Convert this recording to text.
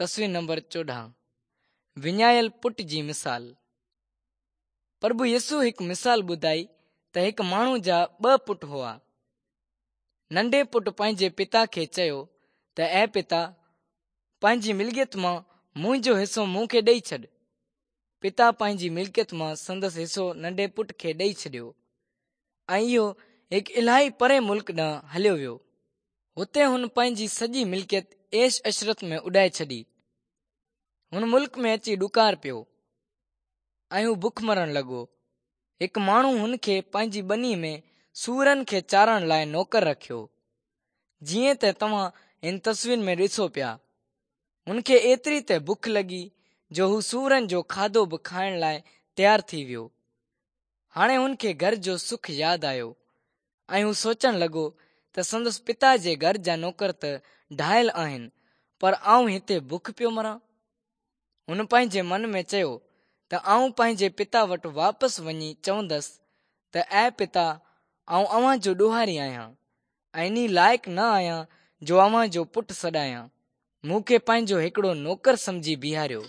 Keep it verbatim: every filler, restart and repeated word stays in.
تصوير نمبر چوڏهن، وڃايل پٽ جي مثال. پرڀو يسوع هڪ مثال ٻڌائي ته هڪ ماڻهو جا ٻه پٽ هئا. ننڍي پٽ پنهنجي پتا کي چيو ته اي پتا، پنهنجي ملڪيت مان منهنجو حصو مون کي ڏئي ڇڏ. پتا پنهنجي ملڪيت مان سندس حصو ننڍي پٽ کي ڏئي ڇڏيو ۽ اهو هڪ الاهي پري ملڪ ڏانهن هليو ويو. هتي هن پنهنجي سڄي ملڪيت عيش عشرت ۾ اڏائي ڇڏي. هن ملڪ ۾ اچي ڏڪار پيو ۽ هو بک مرڻ لڳو. هڪ ماڻهو هن کي پنهنجي ٻني ۾ سوئرن کي چارڻ لاءِ نوڪر رکيو. جيئن ته توهان هن تصوير ۾ ڏسو پيا، هن کي ايتري ته بک لڳي جو هو سوئرن جو کاڌو به کائڻ لاءِ تيار ٿي ويو. هاڻي هن کي گهر جو سک ياد آيو ۽ هو سوچڻ لڳو ته سندس پتا جي گهر جا نوڪر ته ڍايل آهن، پر آئون هتي بک پيو مران. هن پنهنجي من ۾ چيو ته آئون پنهنجي پتا وٽ واپس وڃي چوندس ته اي پتا، آئون اوهان جو ڏوهاري آهيان ۽ انهي لائق نه آهيان جو اوهان جو پٽ سڏايان. مون کي پنهنجو هڪڙو نوڪر سمجهي بيهاريو.